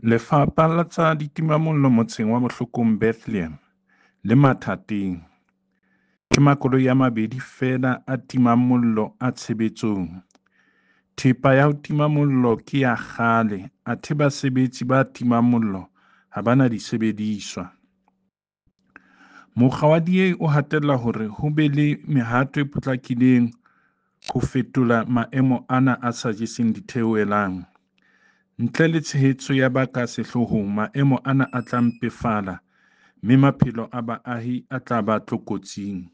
Lefapha la tsa ditimamollo motseng wa Bohlokong Bethlehem le mathateng. Ke makoloi a mabedi feela a timang mollo a tshebetsong. Thepa ya ho tima mollo ke ya kgale athe basebetsi ba timang mollo ha ba na disebediswa. Mokga wa DA o hatella hore ho be le mehato e potlakileng ho fetola maemo ana a sa jeseng ditheohelang. Ntle le tshehetso ya ba ka sehloohong, maemo ana a tla mpefala mme maphelo a baahi a tla ba tlokotsing.